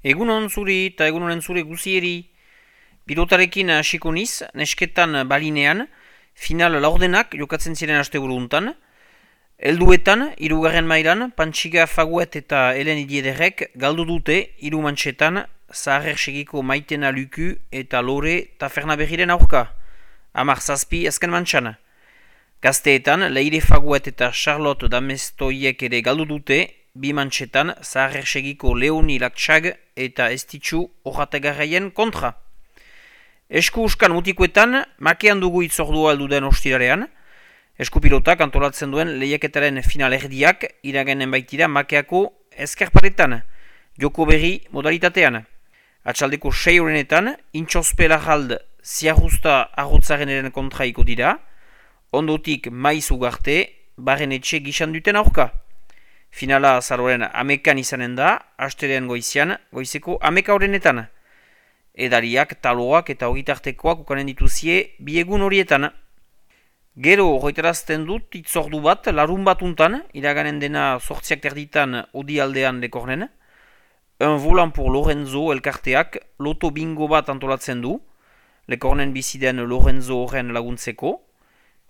Egunon zuri eta egunonen zure guzieri. Pilotarekin hasiko niz, nesketan balinean, final laurdenak jokatzen ziren asteburu untan. Helduetan, hirugarren mailan, Pantxiga Faguet eta Helen Idiederrek galdu dute hiru mantxetan Zaharrer segiko Maitena Luku eta Lore Tafernaberriren aurka. 10-7 azken mantxan. Gazteetan, Leire Faguet eta Charlotte Damestoiek ere galdu dute, bi mantxetan Zaharrer segiko Leoni Laktsag eta Estitxu Ojatagarraien kontra. Esku uskan mutikoetan, makean dugu itzordua alduden ostirarean. Eskupilotak antolatzen duen lehiaketaren final erdiak iragenen baitira makeako ezkerparetan, joko berri modalitatean. Atxaldeko 6 horrenetan, intxospe lajald ziarrusta arrotzareneren kontraiko dira, ondotik maiz ugarte, barren etxe gizan duten aurka. Finala azaroren amekan izanen da, astelean goizian, goizeko ameka horrenetan. Edariak, taloak eta ogitartekoak ukanen dituzie biegun horietan. Gero horretarazten dut itzordu bat larun batuntan, iraganen dena sortziak terditan odi aldean lekornen. Un volant pour Lorenzo elkarteak loto bingo bat antolatzen du, lekornen biziden Lorenzo horren laguntzeko.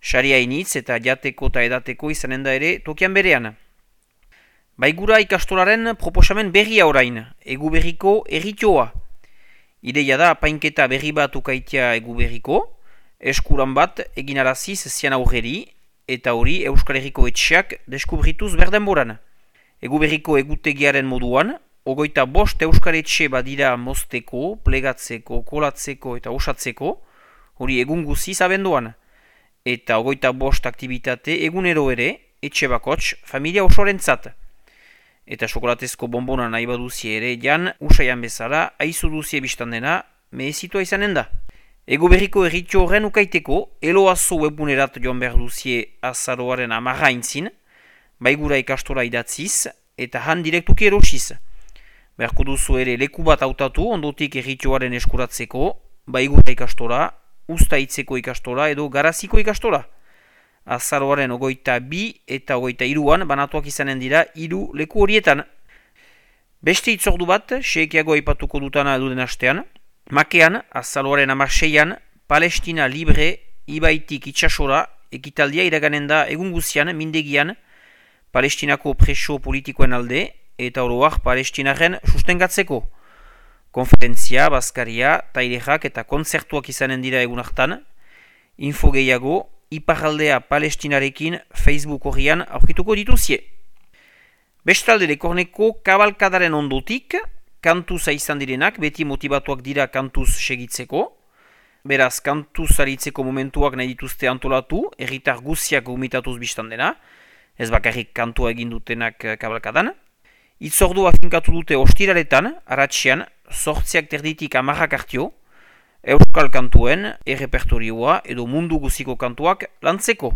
Saria initz eta jateko eta edateko izanen da ere tokian berean. Baigura ikastolaren proposamen berria orain, egu berriko erritioa. Ideia da apainketa berri bat ukaitea egu berriko, eskuran bat eginaraziz zian aurreri, eta hori Euskal Herriko etxeak deskubrituz berdenboran. Egu berriko egutegiaren moduan, 25 Euskal Etxe badira mozteko, plegatzeko, kolatzeko eta osatzeko, hori egun guziz abenduan. Eta 25 aktivitate egunero ere, etxe bakots, familia osorentzat. Eta xokolatezko bonbona nahi baduzie ere jan, usaian bezala, aizu duzie biztan dena, mehezitua izanen da. Ego berriko erritxo horren ukaiteko, eloazo webunerat joan behar duzie azaroaren 10 aintzin, baigura ikastora idatziz, eta han direktuki erosiz. Beharko duzu ere leku bat hautatu, ondotik erritxoaren eskuratzeko, baigura ikastora, ustaitzeko ikastora edo garaziko ikastora. Azaroaren 22 eta 23an banatuak izanen dira 3 leku horietan. Beste itzordu bat, seekiago aipatuko dutana eduden astean. Makean, azaroaren 16an, Palestina Libre ibaitik itxasora ekitaldia iraganen da egun guzian, mindegian, Palestinako preso politikoen alde eta oroak Palestinaren sustengatzeko. Konferentzia, bazkaria, tailerak eta kontzertuak izanen dira egun hartan. Info gehiago, Iparraldea Palestinarekin Facebook horrian aurkituko dituzie. Bestalde lekorneko kabalkadaren ondotik, kantuza izan direnak, beti motibatuak dira kantuz segitzeko. Beraz, kantuz aritzeko momentuak nahi dituzte antolatu, erritar guziak gumitatuz biztan dena, ez bakarrik kantua egin dutenak kabalkadan. Itzordua finkatu dute ostiraretan, aratxean, 8 terditik 10 hartio, Euskal kantuen, errepertorioa edo mundu guziko kantuak lantzeko.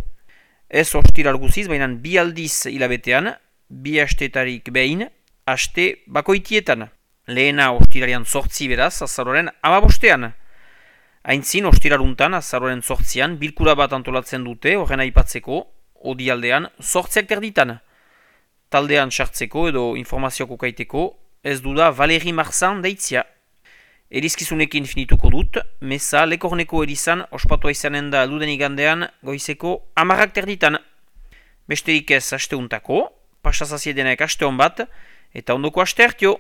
Ez ostiral guziz, baina 2 aldiz hilabetean, 2 astetarik behin, aste bakoitietan. Lehena ostirarian 8 beraz, azaroren 15ean. Aintzin ostiraruntan, azaroren 8ean, bilkura bat antolatzen dute, horren aipatzeko, odialdean 8 terditan. Taldean sartzeko edo informazioko kaiteko, ez duda Valeri Marzan deitzia. Erizkizunekin finituko dut, meza lekorneko erizan ospatua izanen da alduden igandean goizeko 10 terditan. Besterik ez asteuntako, pasazazie denek aste hon bat, eta ondoko aste hartio.